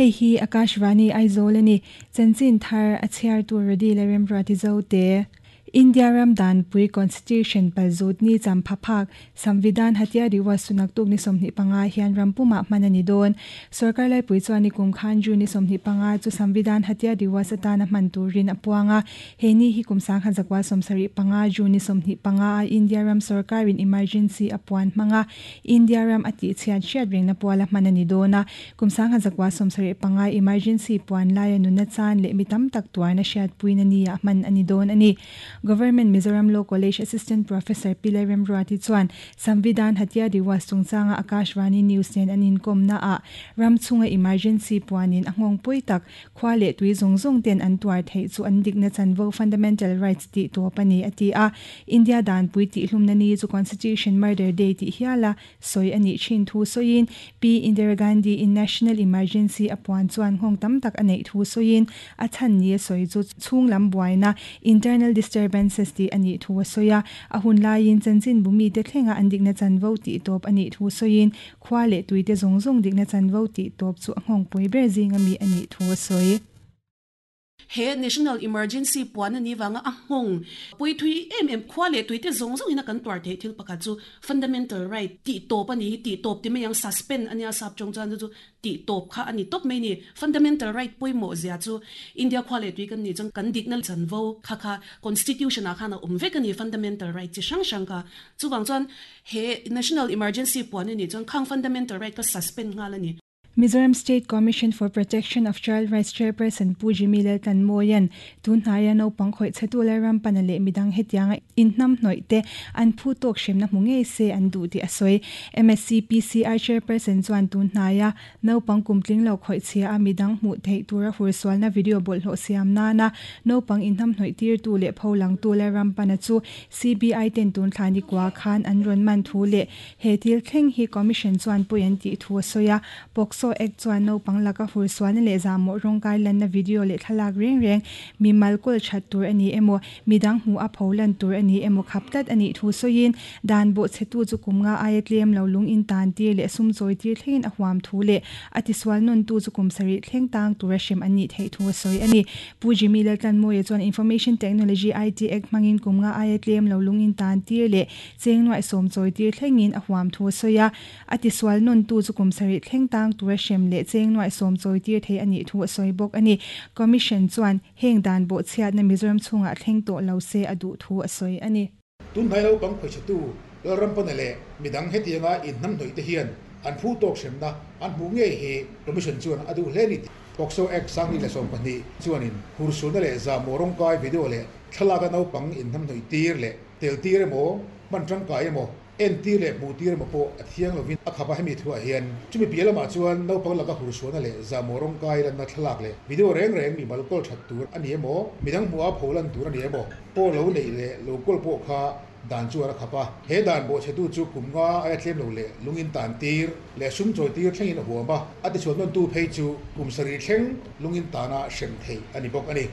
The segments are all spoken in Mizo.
Hei hi Akashvani Aizawl a ni. Chanchin thar a chhiartu Rody Lalremruati Zote. India ram danpui Constitution palzut ni champha phak Samvidhan Hatya Diwas chu naktuk ni 25 hian ram pumah hman a ni dawn. Sorkar laipui chuan ni kum khan June ni 25 chu Samvidhan Hatya Diwas atana hman turin a puang a. He ni hi kum 1975 June ni 25 a India ram sorkarin emergency a puan hmang a, India ram a tihchhiat hriat rengna puala hman a ni dawn a. Kum 1975 emergency puan laia nuna chan leh mi tam tak tuarna hriatpuina ni ah hman a ni dawn a ni. Government Mizoram Law College Assistant Professor Pi Lalremruati chuan Samvidhan Hatya Diwas chungchanga Akashvani News nen an inkawmna ah ram chhunga emergency puanin a nghawng pawi tak khua leh tui zawng zawng ten an tuar theih chu an dikna chanvo fundamental rights tih tawp a ni a ti a. India danpui tihhlumna ni chu Constitution Murder Day tih hiala sawi a nih thin thu sawiin Pi Indira Gandhi in National Emergency a puan chuan nghawng tam tak a neih thu sawiin a chhan ni a sawi chu chhung lam buaina internal disturbances tih a nih thu a sawi a. A hun laiin chanchin bu mite thlenga an dikna chanvo tih tawp a nih thu sawiin khua leh tuite zawng zawng dikna chanvo tih tawp chu a nghawngpui ber zinga mi a nih thu a sawi. He National Emergency puan a nih vanga a nghawng pui thui em em khua leh tuite zawng zawngin a kan tuar theih thil pakhat chu Fundamental Right tih tawp a ni hi, tih tawp ti mai ang, suspend a nia sap tawng chuan chu chu tih tawp kha a ni tawp mai a ni. Fundamental Right pawimawh zia chu India khua leh tui kan nih chuan kan dikna chanvo kha kha Constitution ah khan a awm vek a ni, Fundamental Right chi hrang hrang kha. Chuvang chuan he National Emergency puan a nih chuan khang Fundamental Right kha suspend nghal a ni. Mizoram State Commission for Protection of Child Rights Chairperson Pu Jimmy Laltlanmawia'n tun hnaia naupang khawih chhetu Lalrampana leh midang hetianga inhnamhnawih te an phu tawk hremna hmu ngei se an duh tih a sawi. MSCPCR Chairperson chuan tun hnaia naupang kumtling lo khawih chhia a midang hmuh theih tura hursualna video bawlhhlawh siam nana naupang inhnamhnawih tirtu leh pholangtu Lalrampana chu CBI ten tun thla ni kua khan an rawn man thu leh He thil thleng hi Commission chuan pawi an tih thu a sawi a, POCSO Act chuan naupang laka hursualna leh zahmawh rawngkai lanna video leh thlalak reng reng mi mal kawl that tur a ni emaw, midang hmuh a pho lan tur a ni emaw khap tlat a nih thu sawiin, dan bawhchhetu chu kum nga aia tlem lo lung in tan tir leh sum chawi tir thlengin a huam thu leh a tisual nawntu chu kum sarih thleng tang tura hrem an nih theih thu a sawi a ni. Pu Jimmy Laltlanmawia chuan Information Technology, IT, Act hmangin kum nga aia tlem lo lung in tan tir leh Cheng nuaih sawm chawi tir thlengin a huam thu a sawi a, a tisual nawntu chu kum sarih thleng tang tura hrem leh cheng nuaih sawm chawi tir thei a nih thu a sawi bawk a ni. Commission chuan heng dan bawhchhiatna Mizoram chhungah thleng tawh lo se a duh thu a sawi a ni. Tunhnai lo pang khawihchhetu Lalrampana leh midang hetianga inhnamhnawih te hian an phu tawk hremna an hmuh ngei hi Commission chuan a duh hle ni tih POCSO Act 2012 chuanin hursulna leh zahmawh rawngkai video leh thlalaka naupang inhnamhnawih tir leh Tel tir emaw, hman tangkai emaw, en tir leh hmuh tir emaw pawh a thiang lovin a khap a, hemi thuah hian chumi piah lamah chuan naupang laka hursuahna leh zahmawh rawngkai lanna thlalak leh video reng reng mimal kawl that tur a ni emaw, midang hmuha pho lan tur a ni emaw pawh lo neih leh lo kawl pawh kha dan chuan a khap a. He dan bawhchhetu chu kum nga aia tlem lo leh lungin tan tir leh sum chawi tir thlengin a huam a, a tichhuah nawntu phei chu kum sarih thleng lungin tana hrem theih a ni bawk a ni.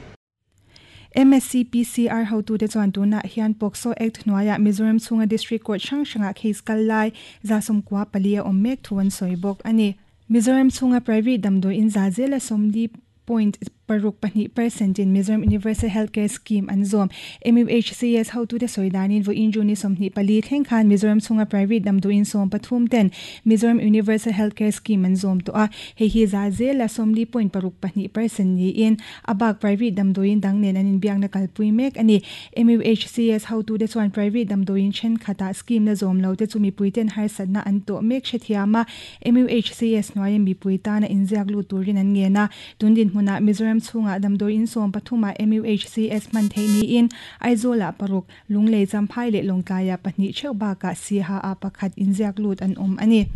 MSCPCR hotute chuan tunah hian POCSO Act hnuaiah Mizoram chhunga District Court hrang hrangah case kal lai 94 a awm mek thu an sawi bawk a ni. Mizoram chhunga private damdawiin za zela 40.62 percent in Mizoram Universal Healthcare Scheme an zawm. MUHCS hotute sawi danin vawiin June ni 24 thleng khan Mizoram chhunga private damdawiin 13 ten Mizoram Universal Healthcare Scheme an zawm tawh a, hei hi za zela 40.62 percent niin A bak private damdawiin dang nen an inbiakna kalpui mek a ni. MUHCS hotute chuan private damdawiin thenkhatah scheme la zawm lo te chu mipuiten harsatna an tawh mek hrethiam a, MUHCS hnuaia mipui tana inziak lut turin an ngen a. Tun dinhmunah Mizoram chhungah damdawiin 13 ah MUHCS hman theih niin Aizawlah paruk, Lunglei Champhai leh Lawngtlaiah pahnih theuh bakah Siha ah pakhat inziak lut an awm a ni.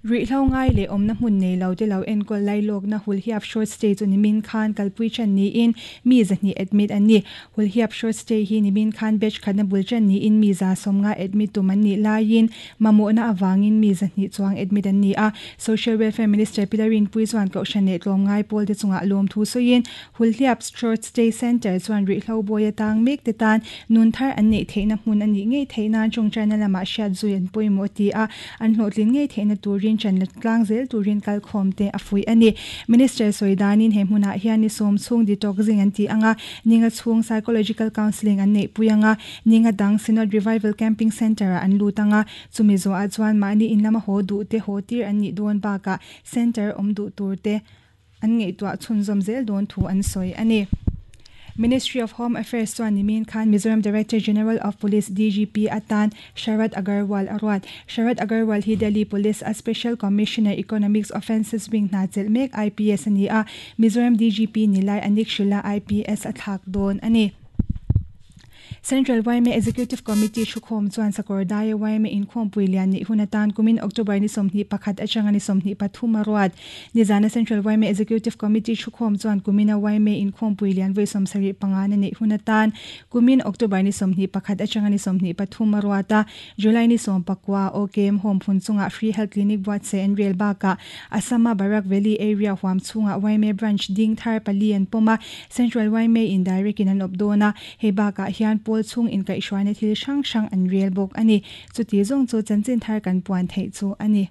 Ruihhlo ngai leh awmna hmun nei lo te lo enkawl lailawkna Hulhiap Short Stay chu nimin khan kalpui ṭan niin mi 200 admit an ni. Hulhiap Short Stay hi nimin khan batch khatna bul ṭan niin mi 150 admit tum an nih laiin mamawhna avangin mi 200 chuang admit an ni a. Social Welfare Minister Pi Larinpui chuan Kohhran leh tlawmngai pawl te chungah lawmthu sawiin Hulhliap Short Stay Centre chuan ruihhlo bawi atang mek te tan nun thar an neih theihna hmun a nih ngei theih nan tawngtaina lamah hriat zui an pawimawh ti a, an hlawhtlin ngei theihna turin. turin ṭan la tlang zel turin kalkhawmte a fuih a ni. Minister sawi danin he hmunah hian ni sawm chhung detoxing an ti ang a, ninga chhung psychological counselling an neihpui ang a, ninga dang Synod Revival Camping Centre-ah an lut ang a, chumi zawhah chuan mahni in lama haw duhte haw tir an nih dawn bakah centre awm duh turte an ngaihtuah chhunzawm zel dawn thu an sawi a ni. Ministry of Home Affairs chuan nimin khan Mizoram Director General of Police, DGP, atan Sharad Agarwal a ruat. Sharad Agarwal hi Delhi Police a Special Commissioner Economics Offences Wing hna chelh mek IPS a ni a, Mizoram DGP ni lai Anik Shila IPS a thlak dawn a ni. Central yma Executive Committee thukhawm chuan Sakawrdaia yma inkhawmpui lian nih hun atan kumin October ni 21 atanga ni 23 a ruat. Nizana Central yma Executive Committee thukhawm chuan kumina yma inkhawmpui lian vawi 75 na neih hun atan kumin October ni 21 atanga ni 23 a ruat a, July ni 19 OKM Home phun chungah Free Health Clinic buatsaih an rel bakah Assam-a Barak Valley area huam chhungah yma branch ding thar pali an pawm a, Central yma in direct in an awp dawn a, hei bakah hian pawl chhung inkaihhruaina thil hrang hrang an rel bawk a ni. Chuti zawng chu chanchin thar kan puan theih chu a ni.